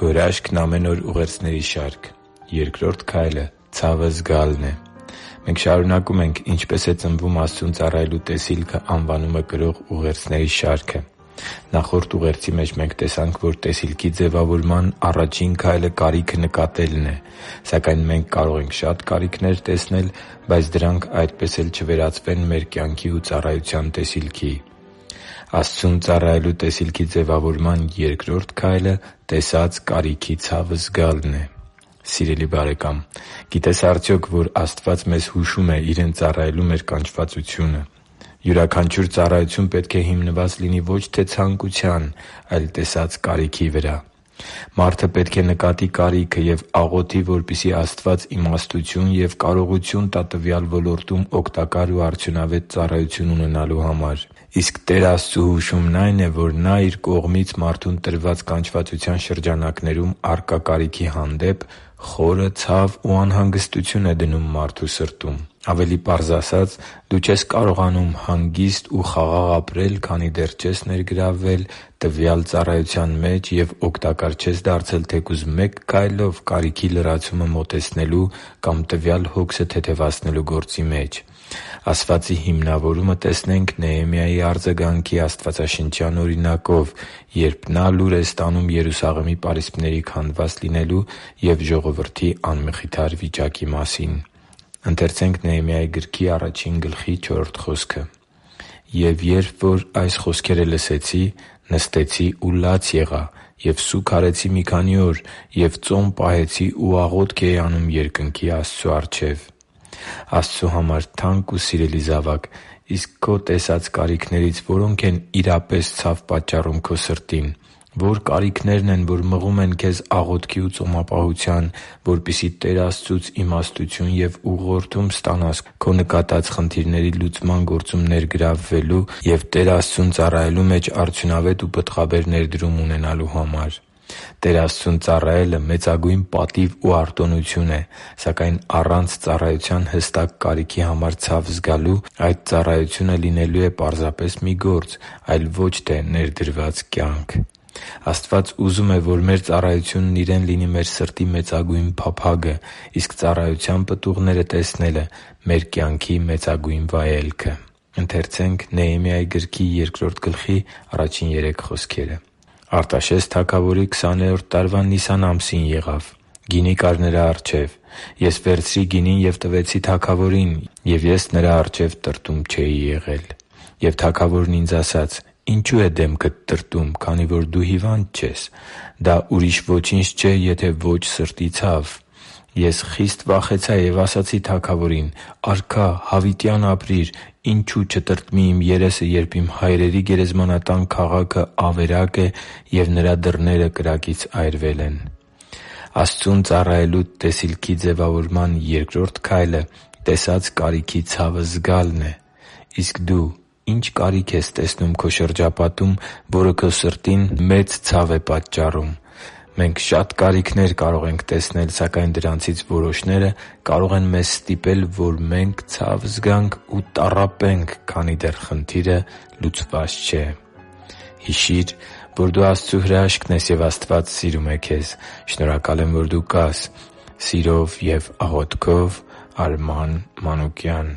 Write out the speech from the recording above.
Քո հրաշքն ամեն օր ուղերձների շարք։ Երկրորդ քայլը ցավը զգալն է։ Մենք շարունակում ենք «Ինչպե՞ս է ծնվում Աստծուն ծառայելու տեսիլքը» անվանումը կրող ուղերձների շարքը։ Նախորդ ուղերձի մեջ մենք տեսանք, որ տեսիլքի ձևավորման առաջին քայլը կարիքը նկատելն է։ Սակայն մենք կարող ենք շատ կարիքներ տեսնել, բայց դրանք այդպես էլ չվերածվեն մեր կյանքի ու ծառայության տեսիլքի։ Աստծուն ծառայելու տեսիլքի ձևավորման երկրորդ քայլը տեսած կարիքի ցավը զգալն է։ Սիրելի՛ բարեկամ, գիտե՞ս արդյոք, որ Աստված մեզ հուշում է Իրեն ծառայելու մեր կանչվածությունը։ Յուրաքանչյուր ծառայություն պետք է հիմնված լինի ոչ թե ցանկության, այլ տեսած կարիքի վրա։ Մարդը պետք է նկատի կարիքը և աղոթի, որպեսզի Աստված իմաստություն և կարողություն տա տվյալ ոլորտում օգտակար ու արդյունավետ ծառայություն ունենալու համար։ Իսկ Տեր Աստծու հուշումն այն է, որ Նա Իր կողմից մարդուն տրված կանչվածության շրջանակներում առկա կարիքի հանդեպ խորը ցավ ու անհանգստություն է դնում մարդու սրտում։ Ավելի պարզ ասած, դու չես կարողանում հանգիստ ու խաղաղ ապրել, քանի դեռ չես ներգրավվել տվյալ ծառայության մեջ և օգտակար չես դարձել թեկուզ մեկ քայլով կարիքի լրացումը մոտեցնելու կամ տվյալ հոգսը թեթևացնելու գործի մեջ։ Ասվածի հիմնավորումը տեսնենք Նեհեմիայի արձագանքի աստվածաշնչյան օրինակով, երբ նա լուր է ստանում Երուսաղեմի պարիսպների քանդված լինելու և ժողովրդի անմխիթար վիճակի մասին։ «Եվ երբ որ այս խոսքերը լսեցի, նստեցի ու լաց եղա և սուգ արեցի մի քանի օր և ծոմ պահեցի ու աղոթք էի անում երկնքի Աստծու առջև» Աստծու համար թանկ ու սիրելի՛ զավակ, իսկ քո տեսած կարիքներից որո՞նք են իրապես ցավ պատճառում քո սրտին։ Ո՞ր կարիքներն են, որ մղում են քեզ աղոթքի ու ծոմապահության, որպեսզի Տեր Աստծուց իմաստություն և ուղղորդում ստանաս քո նկատած խնդիրների լուծման գործում ներգրավվելու և Տեր Աստծուն ծառայելու մեջ արդյունավետ ու պտղաբեր ներդրում ունենալու համար։ Տեր Աստծուն ծառայելը մեծագույն պատիվ ու արտոնություն է, սակայն առանց ծառայության հստակ կարիքի համար ցավ զգալու այդ ծառայությունը լինելու է պարզապես մի գործ, այլ ոչ թե ներդրված կյանք։ Աստված ուզում է, որ մեր ծառայությունն Իրեն լինի մեր սրտի մեծագույն փափագը, իսկ ծառայության պտուղները տեսնելը՝ մեր կյանքի մեծագույն վայելքը։ «Արտաշես թագավորի 20-րդ տարվա Նիսան ամսին եղավ. գինի կար նրա առջև։ Ես վերցրի գինին և տվեցի թագավորին, և ես նրա առջև տրտում չէի եղել։ Եվ թագավորն ինձ ասաց. «Ինչո՞ւ է դեմքդ տրտում, քանի որ դու հիվանդ չես։ Դա ուրիշ ոչինչ չէ, եթե ոչ սրտի ցավ»։ Ես խիստ վախեցա և ասացի թագավորին. «Արքա, հավիտյան ապրիր, ինչո՞ւ չտրտմի իմ երեսը, երբ իմ հայրերի գերեզմանատան քաղաքը ավերակ է, և նրա դռները կրակից այրվել են»։ Աստծուն ծառայելու տեսիլքի ձևավորման երկրորդ քայլը տեսած կարիքի ցավը զգալն է։ Իսկ դու ի՞նչ կարիք ես տեսնում քո շրջապատում, որը քո սրտին մեծ ցավ է պատճառում։ Մենք շատ կարիքներ կարող ենք տեսնել, սակայն դրանցից որոշները կարող են մեզ ստիպել, որ մենք ցավ զգանք ու տառապենք, քանի դեռ խնդիրը լուծված չէ։ Հիշի՛ր, որ դու Աստծո հրաշքն ես, և Աստված սիրում է քեզ։ Շնորհակալ եմ, որ դու կա՛ս։ Սիրով և աղոթքով, Արման Մանուկյան։